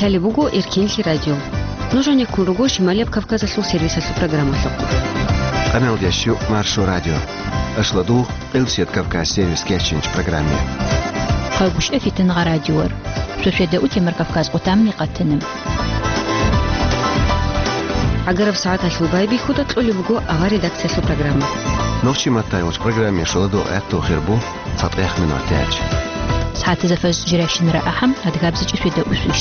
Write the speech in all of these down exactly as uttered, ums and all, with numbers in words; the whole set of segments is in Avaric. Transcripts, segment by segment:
Лъалеб буго Эркенлъи радио. Нуж гьанеккун руго Шималияб Кавказалъул сервисалъул программалъухъ. Къамелдеш ю Маршо радио. Ашладу Къилсият Кавказ сервис кечинч программе. Хъагушев Фитангъа радиор. Шошеда утемар Кавказ къутамни къатана. Агараб сагӀаталъул байбихьуда кьолеб буго авар редакциялъул программа. Нохчи Маттайвоч программе шоладу гӀатту хирбу. ЦатӀехъ минутач. СагӀатизе фажр жирашинра ахӀам, адгабзичӀи шведа усвищ.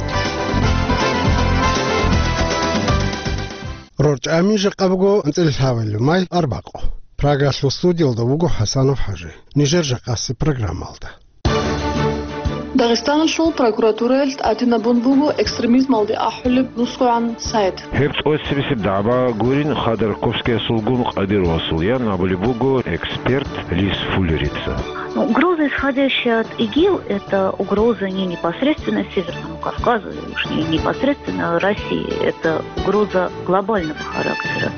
РорчӀами жакъа буго анцӀила лъабилеб май арбакъу. Прагалъул студиялда вуго ХӀасанов ХӀажи. Нижер жакъаси программалда. Дагъистаналъул прокуратураялъ тӀадинабун буго экстремизмалде ахӀулеб нусгогӀан сайт. Гьеб тӀоцебесеб дагӀба гурин Ходорковскиясулгун Къадировасул, ян абулеб буго эксперт Лиз Фуллерица. Ну, угроза, исходящая от ИГИЛ, это угроза не непосредственно Северному Кавказу, и уж не непосредственно России. Это угроза глобального характера.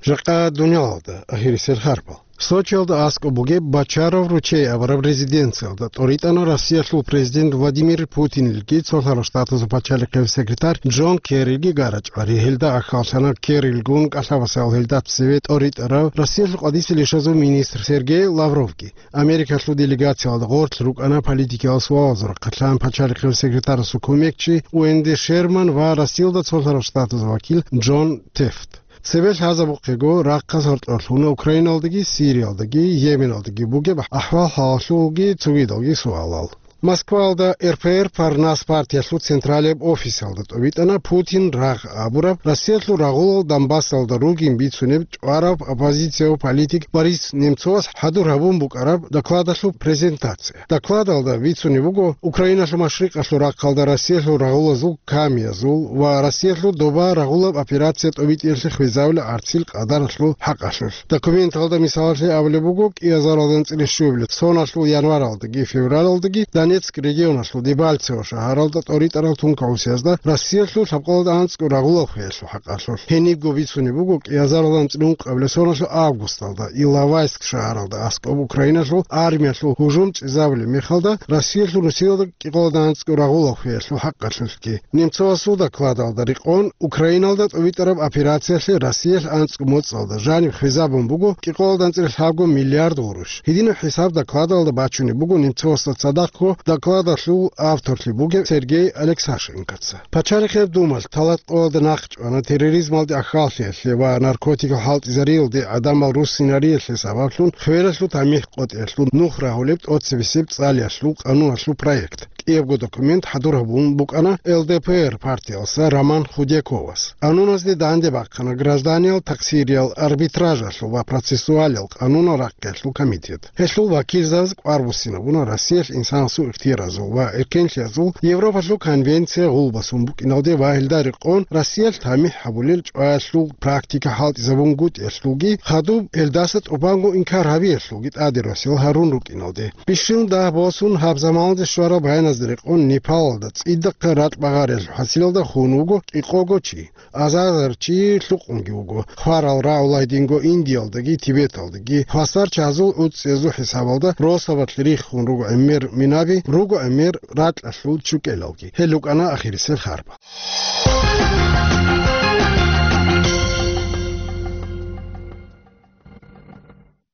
Жакъа дуниялалда ахирисел харпал. Сочиялда аскӀоб бугеб Бочаров ручей абураб резиденциялда тӀоритӀана Россиялъул президент Владимир Путинилги цолъарал штатазул пачалихъе секретарь Джон Керрилги гара-чӀвари. Гьелда ахьаллъана Керрилгун кӀалъабасал гьелда цеве тӀоритӀарав Россиялъул къадисел ишазул министр Сергей Лавровги. Америкалъул делегациялда гъорлъ рукӀана политикиял суалазул рахъалъан пачалихъе секретарасул кумекчи Уэнди Шерман ва Россиялда цолъарал штатазул вакил Джон Тефт. Цебе лъазабухъего, рахъалъ гьоркьорлъуна Украиналдаги, Сириялдаги, Йеменалдаги бугеб ахӀвал-хӀалалъулги цогидалги суалал. Москваялда РПР Парнас партиялъул централияб офисалда тӀобитӀана Путин рагъ абураб Россиялъул рагъулал Донбассалда ругин бицунеб чӀвараб оппозицияв политик Борис Немцовас хӀадур гьабун букӀараб докладалъул презентация. Докладалда бицунеб буго Украиналъул машрикъалъул рахъалда Россиялъул рагъулазул камиязул ва Россиялъул доба рагъулаб операция тӀобитӀиялъе хвезавулеб гӀарцил къадаралъул хӀакъалъулъ. Документалда мисалалъе абулеб буго, кӀиазаралда анцӀила щуабилеб соналъул январалдаги февралалдаги Донецк регионалъул Дебальцево шагьаралда тӀоритӀарал тункагӀусиязда Россиялъул лъабкъоялда анцӀго рагъулаб хвеялъул хӀакъалъулъ. Гьенибго бицунеб буго кӀиазаралда анцӀила ункъабилеб соналъул августалда Иловайск шагьаралда аскӀоб Украиналъул армиялъул гьужум чӀезабулеб мехалда Россиялъул нусиялда кӀикъоялда анцӀго рагъулаб хвеялъул хӀакъалъулъги. Немцовасул докладалда рекъон, Украиналда тӀобитӀараб операциялъе Россиялъ анцӀго моцӀалда жаниб хвезабун буго кӀикъоялда анцӀила лъабго миллиард гъурущ. Гьединаб хӀисаб докладалда бачунеб буго Немцовасда цадахъго докладалъул авторлъи бугеб Сергей Алексашенкоца. Пачалихъеб Думалъ тӀалабкъоялда нахъ чӀвана терроризмалде ахьаллъиялъе ва наркотикал хӀалтӀизариялде гӀадамал руссинариялъе сабаблъун хвелалъул тамихӀ къотӀиялъул нух рагьулеб тӀоцебесеб цӀалиялъул къануналъул проект. КӀиябго документ хӀадур гьабун букӀана Л Д П Р партиялса Роман Худяковас. Къануназде данде бахъана гражданиял такъсириял арбитражалъул ва процессуалиял къанунал рахъиялъул комитет. Гьелъул вакилзабаз кӀвар буссинабуна Россиялъ инсанасул ихтияразул ва эркенлъиязул Европалъул конвенция гъулбасун букӀиналде ва гьелда рекъон Россиялъ тамихӀ гьабулел чӀваялъул практика хӀалтӀизабунгутӀиялъулги хадуб гьелдаса тӀубанго инкар гьабиялъулги тӀаде росиялъ гьарун рукӀиналде. Бищун дагь босун гьаб заманалде щвараб гьаяназда рекъон Непалалда цӀидахъа ракь багъариялъул хӀасилалда хун вуго кӀикъого чи. Азарзар чи лъукъунги вуго. Хварал рагӀула гьединго Индиялдаги, Тибеталдаги. Хвасар чагьазул гӀуцӀцӀиязул хӀисабалда росабалъ риххун руго гӀемер минаби, руго гӀемер ракьалъул чукӀелалги. Гьел рукӀана ахирисел харба.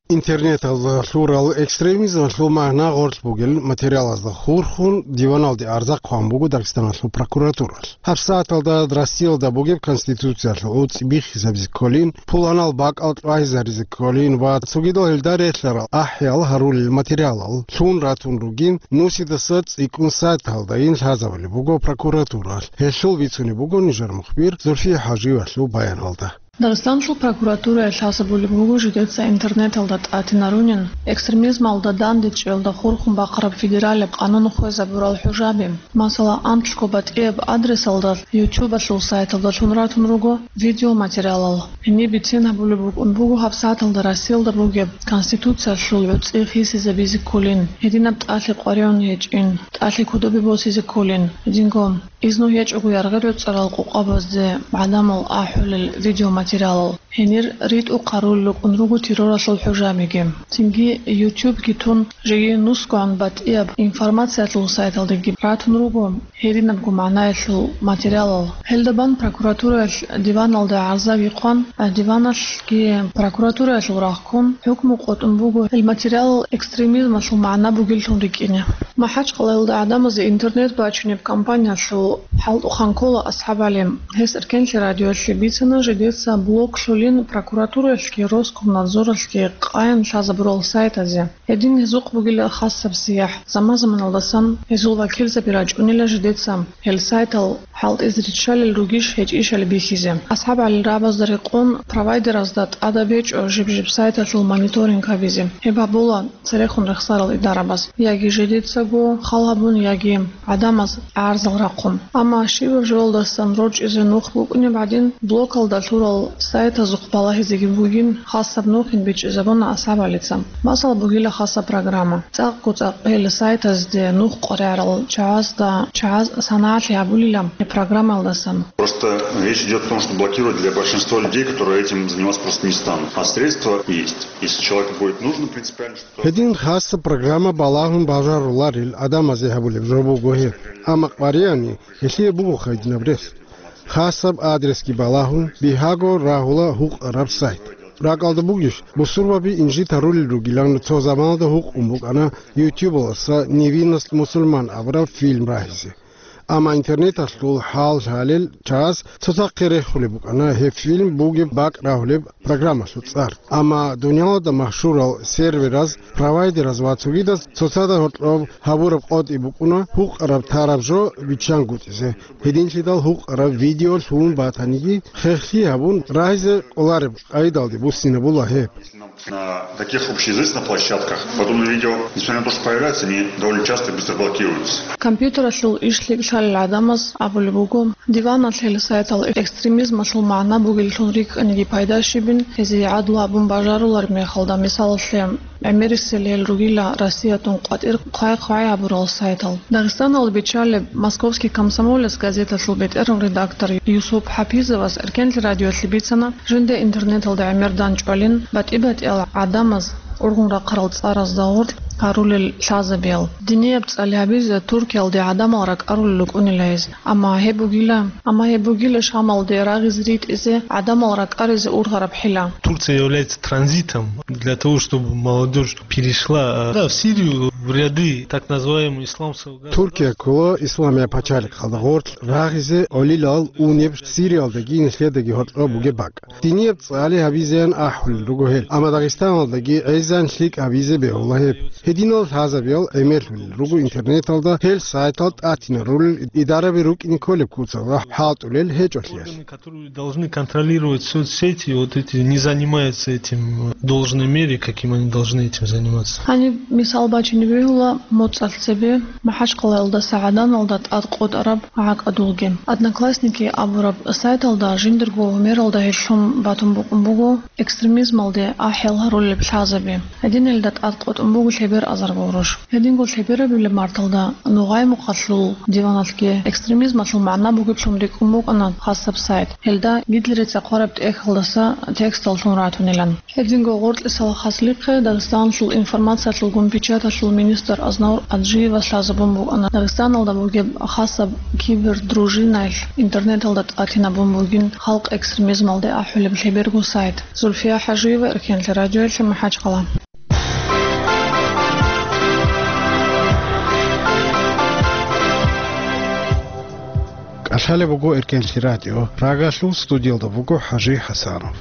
Интернеталда лъурал экстремизмалъул магӀна гъорлъ бугел материалазда хурхун диваналде арза хъван буго Дагъистаналъул прокуратуралъ. ГьабсагӀаталда Россиялда бугеб Конституциялъул гӀуцӀи биххизабизе кколин, пуланал бакӀал чӀвагьизаризе кколин ва цогидал гьелда релълъарал ахӀиял гьарулел материалал лъун ратун ругин, нусидаса цӀикӀкӀун сайталдайин лъазабулеб буго прокуратуралъ. Гьелъул бицунеб буго нижер мухбир Зульфия ХӀажиевалъул баяналда. Дагъистаналъул прокуратуралъ лъазабулеб буго жидеца интернеталда тӀатинарунин экстремизмалда дандечӀелда хурхун бахъараб федералияб къанун хвезабурал хӀужаби. Масала, анкьго батӀияб адресалда, ютубалъул сайталда лъун ратун руго видеоматериалал. Гьениб бицин гьабулеб букӀун буго гьабсагӀаталда Россиялда бугеб Конституциялъул гӀуцӀи хисизабизе кколин, гьединаб тӀалъи къваригӀун гьечӀин, тӀалъи кодобе босизе кколин, гьединго изну гьечӀого яргъи-реццарал къокъабазде гӀадамал ахӀулел видеоматериалал. материалал. Гьенир ритӀухъ гьарулел рукӀун руго терроралъул хӀужабиги. Цинги YouTube-ги тун, жеги нусгогӀан батӀияб информациялъул сайталдеги ратун руго гьединабго магӀнаялъул материалал. Гьелда бан прокуратураялъ диваналда гӀарзаги хъван, диваналъги прокуратураялъул рагъ ккун, хӀукму къотӀун буго гьел материалал экстремизмалъул магӀна бугеллъун рикӀкӀине. МахӀачхъалаялда гӀадамазе интернет бачунеб кампаниялъул хӀалтӀухъан ккола АсхӀаб ГӀали. Гьес Эркенлъи радиоялъе бицана жидеца блоклъулин прокуратураялъги Роскомнадзоралъги къаян лъазабурал сайтазе. Гьедин гьезухъ бугила хасаб сияхӀ, заман-заманалдасан гьезул вакилзаби рачӀунила жидеца гьел сайтал хӀалтӀизе риччалел ругищ гьечӀищали бихьизе. АсхӀаб ГӀалил рагӀабазда рекъон провайдеразда тӀадаб гьечӀо жиб-жиб сайталъул мониторинг гьабизе. Гьеб гьабула церехун рехсарал идарабаз, яги жидецаго хал гьабун, яги гӀадамаз гӀарзал рахъун. Амма щибаб жоялдасан рорчӀизе нух букӀунеб гӀадин, блокалда лъурал сайтазухъ балагьизеги бугин, хасаб нухин бичӀчӀизабуна АсхӀаб ГӀалица. Масал бугила хасаб программа. ЦӀакъго-цӀакъ гьел сайтазде нух къваригӀарал чагӀазда чагӀаз санагӀалъи гьабулила гьеб программаялдасан. Просто речь идёт о том, что блокировать для большинства людей, которые этим заниматься просто не станут. А средства есть. Если человеку будет нужно принципиально что-то... Гьедин хасаб программа балагьун бажаруларел гӀадамазе гьабулеб жо буго гьеб. Амма къваригӀани, гьелъие буго гьединаб рес. Хасаб адресги балагьун, бигьаго рагьула гьукъараб сайт. РакӀалда бугищ, бусурбаби инжит гьарулел ругилан цо заманалда гьукъун букӀана ютубалдаса «Невинность мусульман» абураб фильм рагьизе. Амма интернеталъул хӀал-хӀалел чагӀаз цоцахъе рехулеб букӀана гьеб фильм бугеб бакӀ рагьулеб программалъул цӀар. Амма дуниялалда машгьурал сервераз, провайдераз ва цогидаз цоцазда гьоркьоб гьабураб къотӀи букӀуна гьукъараб тараб жо биччангутӀизе. Гьединлъидал гьукъараб видео лъугьун батаниги, хехлъи гьабун рагьизе кӀолареб къайдалде буссинабула гьеб. На таких общеизвестных площадках подобные видео, несмотря на то, что появляются, они довольно часто быстро блокируются. Компьютералъул иш лъикӀлъалел гӀадамаз абулеб буго, диваналъ гьел сайтал экстремизмалъул магӀна бугеллъун рикӀкӀаниги пайда щибин, гьезие гӀадлу гьабун бажарулареб мехалда, мисалалъе, гӀемерисел гьел ругила Россиятун къватӀир хъвай-хъвай гьабурал сайтал. Дагъистаналда биччалеб «Московский комсомолец» газеталъул бетӀерав редактор Юсуп ХӀапизовас Эркенлъи радиоялъе бицана, жинда интернеталда гӀемер данчӀвалин, батӀи-батӀиял гӀадамаз ургъун рахъарал цӀаразда гъоркь гьарулел лъазабиял. Динияб цӀали гьабизе Туркиялде гӀадамал ракӀарулел рукӀунила гьез. Амма гьеб бугила, амма гьеб бугила Шамалде рагъизе ритӀизе, гӀадамал ракӀаризе ургъараб хӀила. Турция является транзитом для того, чтобы молодёжь перешла, э, да, в Сирию, в ряды так называемого исламского государства. Туркия ккола Исламияб пачалихъалда гъоркь рагъизе гӀолилал унеб Сириялдаги нилъедаги гьоркьоб бугеб бакӀ. Динияб цӀали гьабизеян ахӀулел руго гьел, амма Дагъистаналдаги гӀезан лъикӀ гьабизе бегьула гьеб. Гьединал лъазабиял гӀемерлъулел руго интернеталда гьел сайтал тӀатинарулел, идараби рукӀине кколеб куцалда хӀалтӀулел гьечӀолъиялъ. Которые должны контролировать соцсети, вот эти не занимаются этим в должной мере, каким они должны этим заниматься. Гьаниб мисал бачине бегьула моцӀалъ цебе МахӀачхъалаялдаса ГӀаданалда тӀад къотӀараб гӀакӀадулги. «Одноклассники» абураб сайталда жиндирго гьумералда гьелъун батун букӀун буго экстремизмалде ахӀел гьарулеб лъазаби. Гьединелда тӀад къотӀун буго лъебер азарго гъурущ. Гьединго лъеберабилеб марталда Нугъай-Мухъалъул диваналъги экстремизмалъул магӀна бугеблъун рикӀкӀун букӀана хасаб сайт. Гьелда Гитлерица хъвараб тӀехьалдаса текстал лъун ратунилан. Гьединго гъоркьисал хаслихъе Дагъистаналъул информациялъулгун печаталъул министр Азнавур Аджиевас лъазабун букӀана Дагъистаналда бугеб хасаб кибердружинаялъ интернеталда тӀатинабун бугин халкъ экстремизмалде ахӀулеб лъеберго сайт. Зульфия ХӀажиева, Эркенлъи радиоялъе, МахӀачхъала. КӀалъалеб буго Эркенлъи радио, рагалъул студиялда буго ХӀажи ХӀасанов.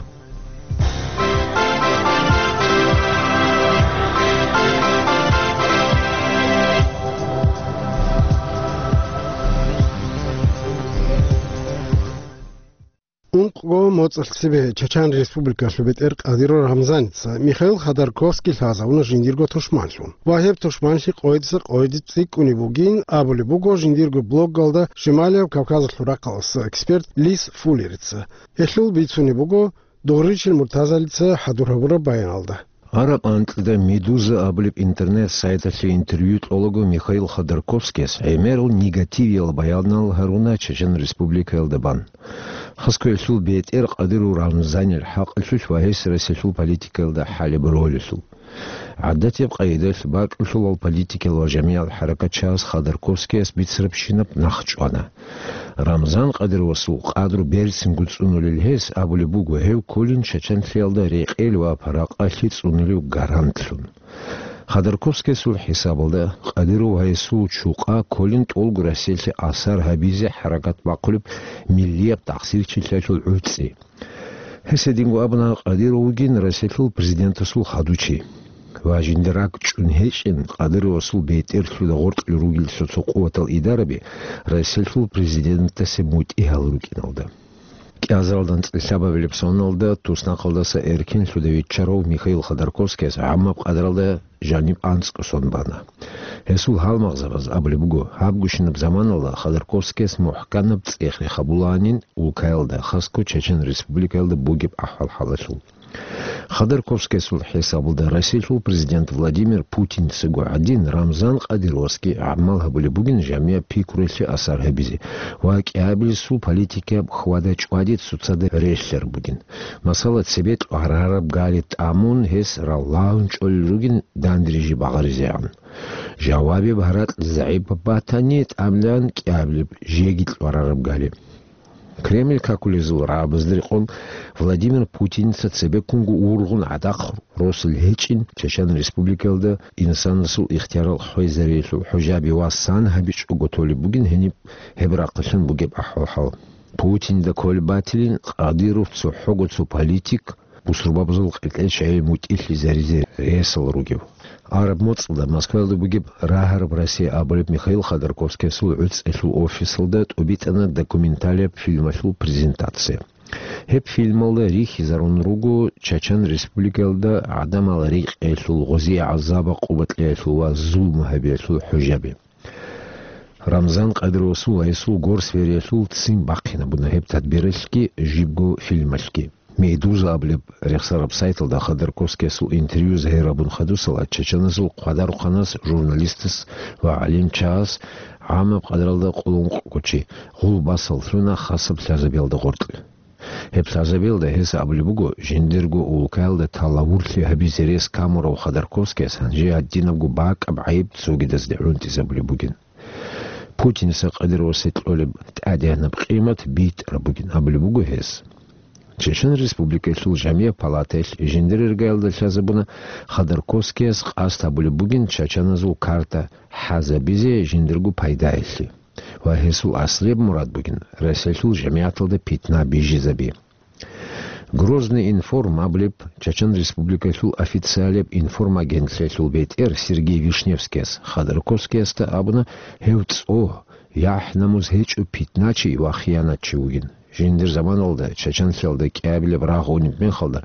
Ункъго моцӀалъ цебе Чачан Республикалъул бетӀер Кадыров Рамзаница Михаил Ходорковский лъазавуна жиндирго тушманлъун ва гьеб тушманлъи къойдаса къойде цӀикӀкӀунеб бугин абулеб буго жиндирго блоггалда Шималияб Кавказалъул рахъалъулъ эксперт Лис Фуллерица. Гьелъул бицунеб буго Дугъричил Муртазалица хӀадур гьабураб баяналда. Араб анкьида «Медуза» абулеб интернет-сайталъе интервью кьолаго Михаил Ходорковскияс гӀемерал негативиял баянал гьаруна Чечен Республикаялда бан. Хасго гьелъул бетӀер Кадыров Рамзанил хӀакъалъулъ ва гьес Россиялъул политикаялда хӀалеб ролалъул. ГӀадатияб къайдалъ бакӀулъулал политикиял ва жамигӀал хӀаракатчияс Ходорковскияс бицарабщинаб нах чӀвана. Рамзан Кадыровасул къадру берцинго цӀунулел гьес абулеб буго, гьев кколин чачанлъиялда рекъел ва паракъалъи цӀунулев гарантлъун. Ходорковскиясул хӀисабалда, Кадыров ва гьесул чукъа кколин тӀолго Россиялъе асар гьабизе хӀаракат бахъулеб миллияб тахсирчилъиялъул гӀуцӀи. Гьес гьединго абуна, Кадыров вугин Россиялъул президентасул хадучи. Ва жиндир ракӀ чӀун гьечӀин, Кадыровасул бетӀерлъуда гъоркье ругел цо-цо къуватал идараби Россиялъул президентасе мутӀигьал рукӀиналда. КӀиазаралда анцӀила лъабабилеб соналда туснахъалдаса эркенлъуда виччарав Михаил Ходорковскияс гӀаммаб къадралда жаниб анцӀго сон бана. Гьесул гьалмагъзабаз абулеб буго, гьабгощинаб заманалда Ходорковскияс мухӀканаб цӀех-рех гьабулаанин улкаялда, хасго Чечен Республикаялда бугеб ахӀвал-хӀалалъул. Ходорковскиясул хӀисабалда, Россиялъул президент Владимир Путинцаго гӀадин, Рамзан Кадыровасги гӀамал гьабулеб бугин жамигӀ пикруялъе асар гьабизе ва кӀиабилесул политикаяб хьвада-чӀвади цоцазда релълъараб бугин. Масала, цебе лъугӀарараб гали тӀамун, гьес раллагьун чӀолел ругин данде-рижи багъаризегӀан. Жавабияб гьаракь загӀипаб батани, тӀамилан кӀиабилеб жеги лъугӀарараб гали. Кремль какулезул рагӀабазда рекъон Владимир Путинца цебеккунго ургъун гӀадахъ росулел гьечӀин Чечен Республикаялда инсанасул ихтиярал хвезариялъул хӀужаби ва сан гьабичӀого толеб бугин гьениб гьеб рахъалъан бугеб ахӀвал-хӀал. Путинда кколеб батилин Кадыров цохӀого цо политик, бусурбабазул къеркьел чагӀи мутӀигьлъизаризе ресал ругев. Араб моцӀалда Москваялда бугеб «Рагьараб Россия» абулеб Михаил Ходорковскиясул гӀуцӀелъул офисалда тӀубитӀана документалияб фильмалъул презентация. Гьеб фильмалда рихьизарун руго Чачан Республикаялда гӀадамал рекъелъул, гъозие гӀазаб-къуба кьеялъул ва зулму гьабиялъул хӀужаби. Рамзан Кадыровасул ва гьесул горсвериялъул ццин бахъинабуна гьеб тадбиралъги жибго фильмалъги. «Медуза» абулеб рехсараб сайталда Ходорковскиясул интервью загьир гьабун хадусала, чачаназул хъвадарухъанас, журналистас ва гӀалимчагьас гӀамаб къадралда къулункъго чи гъул басал лъуна хасаб лъазабиялда гъоркье. Гьеб лъазабиялда гьес абулеб буго, жиндирго улкаялда талавурлъи гьабизе рес камурав Ходорковскияс гьанже гьадинабго бакӀаб гӀайиб цогидазде гӀунтӀизабулеб бугин. Путинца Кадыровасе кьолеб тӀадегӀанаб къимат битӀараб бугин абулеб буго гьес. Чечен Республикаялъул Жамигъ палатаялъ жиндир иргаялда лъазабуна, Ходорковскияс къасд гьабулеб бугин чачаназул карта хӀазабизе жиндирго пайдаялъе. Ва гьесул аслияб мурад бугин Россиялъул жамигӀаталда питна бижизаби. «Грозный информ» абулеб Чачан Республикалъул официалияб информагентлъиялъул бетӀер Сергей Вишневскияс Ходорковскиясда абуна, гьев цӀогь, яхӀ-намус гьечӀев питначи ва хиянатчи вугин. Жиндир заманалда чачанлъиялда кӀиабилеб рагъ унеб мехалда,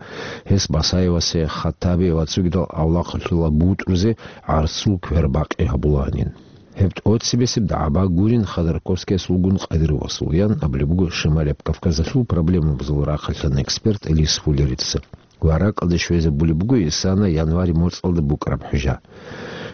гьес Басаевасе, Хаттабе ва цогидал авлахъалъула бутӀрузе гӀарцул квербакъи гьабулаанин. Гьеб тӀоцебесеб дагӀба гурин Ходорковскиясулгун Кадыровасул, ян абулеб буго Шималияб Кавказалъул проблемабазул рахъалъан эксперт Лис Фуллерица. Ва ракӀалде щвезабулеб буго исана январь моцӀалда букӀараб хӀужа.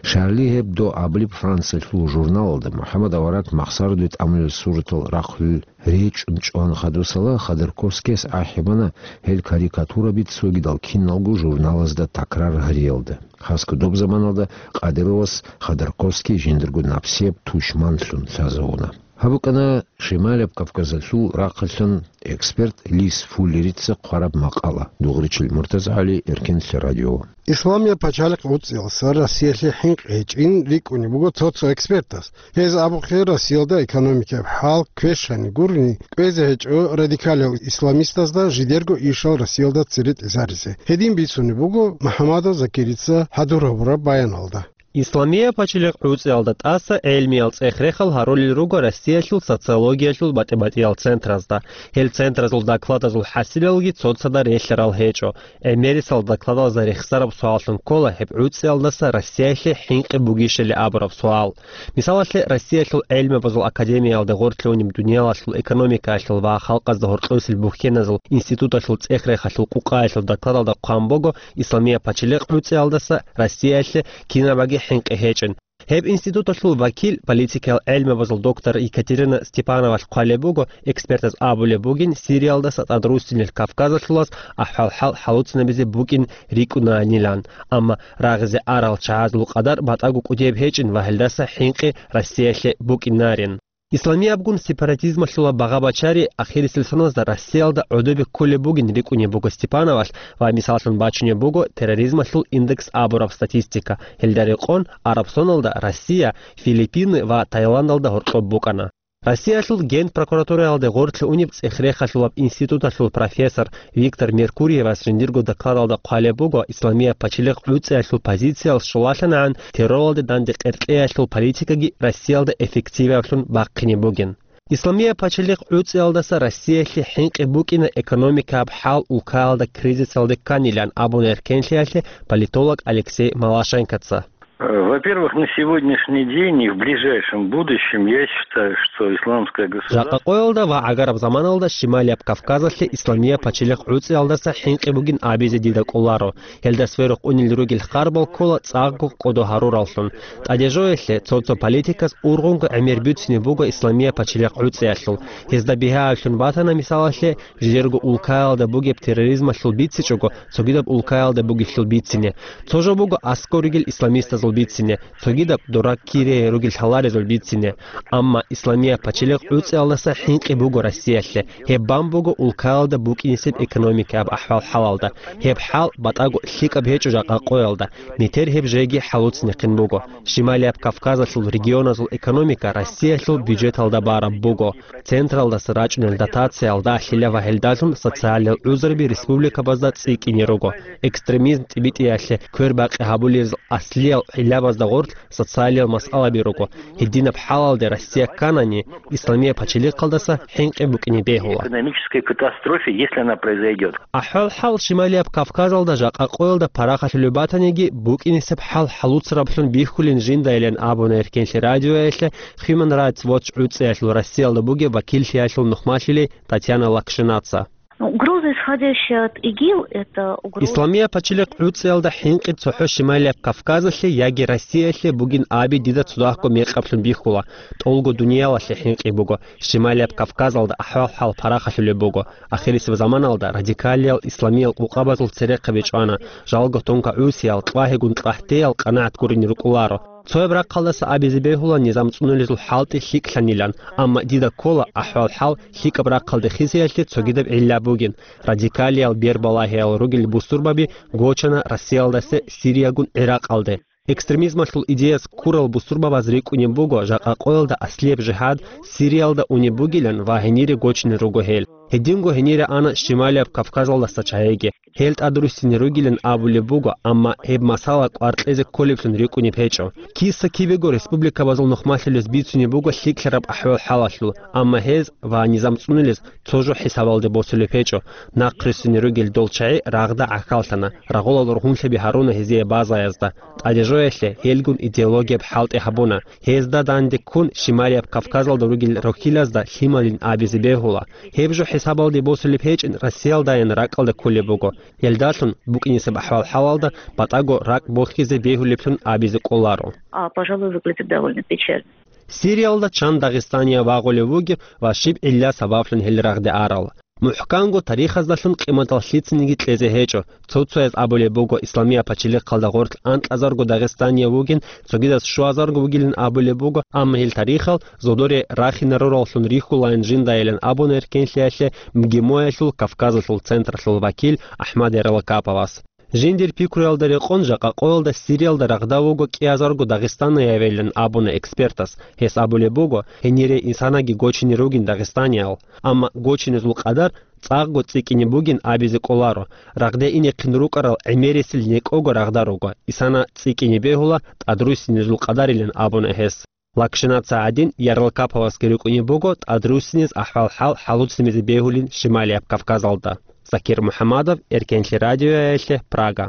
«Шарли Гьебдо» абулеб Франциялъул журналалда МухӀаммад авараг махсараде тӀамулел суратал рахъулел речӀчӀун чӀван хадусала, Ходорковскияс ахӀи бана гьел карикатураби цогидал киналго журналазда такрар гьариялда. Хасго доб заманалда Кадыровас Ходорковский жиндирго напсияб тушманлъун лъазавуна. Гьаб букӀана Шималияб Кавказалъул рахъалъан эксперт Лис Фуллерица хъвараб макъала. Дугъричил МуртазагӀали, Эркенлъи радио. Исламияб пачалихъ гӀуцӀиялса Россиялъе хӀинкъи гьечӀин рикӀкӀунеб буго цо-цо экспертас. Гьез абухъе, Россиялда экономикаяб хӀал квешани гурони, кӀвезе гьечӀо радикалиял исламистазда жидерго ишал Россиялда цере тӀезаризе. Гьедин бицунеб буго МухӀаммадов Закирица хӀадур гьабураб баяналда. Исламия пачалихъ гӀуцӀиялда тӀаса гӀелмиял цӀех-рехал гьарулел руго Россиялъул социологиялъул батӀи-батӀиял центразда. Гьел центразул докладазул хӀасилалги цоцазда релълъарал гьечӀо. ГӀемерисел докладазда рехсараб суаллъун ккола гьеб гӀуцӀиялдаса Россиялъе хӀинкъи бугищали абураб суал. Мисалалъе, Россиялъул гӀелмабазул академиялда гъорлъ унеб дуниялалъул экономикаялъул ва халкъазда гьоркьосел бухьеназул институталъул цӀех-рехалъул къукъаялъул докладалда хъван буго, Исламия пачалихъ гӀуцӀиялдаса Россиялъе кинабаги хӀинкъи гьечӀин. Гьеб институталъул вакил, политикиял гӀелмабазул доктор Екатерина Степановалъ хъвалеб буго, экспертаз абулеб бугин, Сириялдаса тӀадруссинел Кавказалъулаз ахӀвал-хӀал хӀалуцинабизе букӀин рикӀкӀунаанилан, амма рагъизе арал чагӀазул къадар батӀаго кӀудияб гьечӀин ва гьелдаса хӀинкъи Россиялъе букӀинарин. Исламиябгун сепаратизмалъула багъа-бачари ахирисел соназда Россиялда гӀодобе кколеб бугин рикӀкӀунеб буго Степановалъ ва мисаллъун бачунеб буго терроризмалъул индекс абураб статистика. Гьелда рекъон, Арабсоналда Россия, Филиппины ва Таиландалда гьоркьоб букӀана. Россиялъул Генпрокуратураялда гъорлъ унеб цӀех-рехалъулаб институталъул профессор Виктор Меркурьевас жиндирго докладалда хъвалеб буго, Исламия пачалихъ гӀуцӀиялъул позициялъ щолалъанагӀан терроралде данде къеркьеялъул политикаги Россиялда эффективаблъун бахъине бугин. Исламия пачалихъ гӀуцӀиялдаса Россиялъе хӀинкъи букӀина экономикаб хӀал улкаялда кризисалде кканилан абуна эркенлъиялъе политолог Алексей Малашенкоца. Во-первых, на сегодняшний день и в ближайшем будущем я считаю, что исламское государство... Жакъа къоялда ва гӀагараб заманалда Шималияб Кавказалъе Исламия пачалихъ гӀуцӀиялдаса хӀинкъи бугин абизе дида кӀоларо. Гьелда сверухъ унел ругел харбал ккола цӀакъго кӀодо гьарураллъун. ТӀадежоялъе цо-цо политикас ургъунго гӀемер бицине буго Исламия пачалихъ гӀуцӀиялъул. Гьезда бигьа абилъун батана, мисалалъе, жидерго улкаялда бугеб терроризмалъул бицичӀого, цогидаб улкаялда бугелъул бицине. Цо жо буго аскӀор ругел исламистазул бицине, цогидаб дора кире ругел лъаларезул бицине. Амма Исламия пачалихъ гӀуцӀиялдаса хӀинкъи буго Россиялъе. Гьеб бан буго улкаялда букӀинисеб экономикаяб ахӀвал-хӀалалда. Гьеб хӀал батӀаго лъикӀаб гьечӀо жакъа къоялда. Метер гьеб жеги хӀалуцинехъин буго. Шималияб Кавказалъул регионазул экономика Россиялъул бюджеталда бараб буго. Централдаса рачӀунел дотациял дагьлъила ва гьелдалъун социалиял гӀузруби республикабазда цӀикӀкӀине руго. Экстремизм тӀибитӀиялъе квербакъи гьабулел аслиял гӀиллабазда гъорлъ социалиял масъалаби руго. Гьединаб хӀалалде Россия кканани, Исламия пачалихъалдаса хӀинкъи букӀине бегьула. Экономической катастрофе, если она произойдёт. АхӀвал-хӀал Шималияб Кавказалда жакъа къоялда парахалъулеб батаниги, букӀинисеб хӀал хӀалуцараблъун бихьулин жиндайилан абуна эркенлъи радиоялъе Human Rights Watch гӀуцӀиялъул Россиялда бугеб вакиллъиялъул нухмалъулей Татьяна Лакшинаца. Ну, угроза, исходящая от ИГИЛ, это угроза... Исламия пачалихъ гӀуцӀиялда хӀинкъи цохӀо Шималияб Кавказалъе яги Россиялъе бугин аби дида цо дагьго мекъаблъун бихьула. ТӀолго дуниялалъе хӀинкъи буго. Шималияб Кавказалда ахӀвал-хӀал парахалъулеб буго. Ахирисеб заманалда радикалиял исламиял къукъабазул церехъаби чӀвана. Жалго тонкогӀусиял, кьвагьигун кьахӀтеял къанагӀат гурине рукӀуларо. Цояб рахъалдаса абизе бегьула низам цӀунулезул хӀалтӀи лъикӀлъанилан, амма дида ккола ахӀвал-хӀал лъикӀаб рахъалде хисиялъе цогидаб гӀилла бугин. Радикалиял бербалагьиял ругел бусурбаби гочана Россиялдаса Сириягун ГӀиракъалде. Экстремизмалъул идеяс ккурал бусурбабаз рикӀкӀунеб буго жакъа къоялда аслияб жигьад Сириялда унеб бугилан ва гьенире гочинел руго гьел. Гьединго гьенире ана Шималияб Кавказалдаса чагӀиги. Гьел тӀадруссине ругилан абулеб буго, амма гьеб масала кӀвар кьезе кколеблъун рикӀкӀунеб гьечӀо. Киса-кибего республикабазул нухмалъулез бицунеб буго лъикӀлъараб ахӀвал-хӀалалъул, амма гьез ва низам цӀунулез цо жо хӀисабалде босулеб гьечӀо. Нахъруссине ругел дол чагӀи рагъда гӀахьаллъана, рагъулал рогьунлъаби гьаруна гьезие базаязда. ТӀадежоялъе гьелгун идеологияб хӀалтӀи гьабуна. Гьезда данде ккун Шималияб Кавказалда ругел рохьилазда лъималин абизе бегьула. Гьеб жо хӀисабалде босулеб гьечӀин Россиялдаян ракӀалде кколеб буго. Гьелдалъун букӀинисеб ахӀвал-хӀалалда батӀаго ракӀ бохьизе бегьулеблъун абизе кӀоларо. А, пожалуй, выглядит довольно печально. Сириялда чан Дагъистания вагъулев вугев ва щиб гӀилла сабаблъун гьел рагъде арал? МухӀканго тарихаздалъун къиматал лъицаниги кьезе гьечӀо. Цо-цояз абулеб буго, Исламия пачалихъалда гъорлъ анкьазарго Дагъистания вугин, цогидаз щуазарго вугилин абулеб буго, амма гьел тарихал зодоре рахинарураллъун рихьулаан жиндайилан абуна эркенлъиялъе МГИМО-ялъул Кавказалъул централъул вакил АхӀмад Ярлакаповас. Жиндир пикруялда рекъон жакъа къоялда Сириялда рагъда вуго кӀиазарго дагъистаниявилан абуна экспертас. Гьес абулеб буго, гьенире инсанаги гочине ругин дагъистаниял, амма гочинезул къадар цӀакъго цӀикӀкӀине бугин абизе кӀоларо. Рагъде инехъин рукӀарал гӀемерисел некӀого рагъда руго, исана цӀикӀкӀине бегьула тӀадруссинезул къадарилан абуна гьес. Лакшинаца гӀадин, Ярлкаповасги рукӀунеб буго тӀадруссинез ахӀвал-хӀал хӀалуцлъизе бегьулин Шималияб Кавказалда. Закир МухӀаммадов, Эркенлъи радиоялъе, Прага.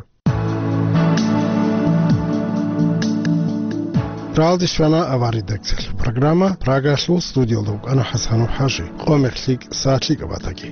Ралдис вана аваридакцалъ. Программа Прагалъул студиялда вукӀана ХӀасанов ХӀажи. Къомер лъикӀ, сагӀат лъикӀаб батаги.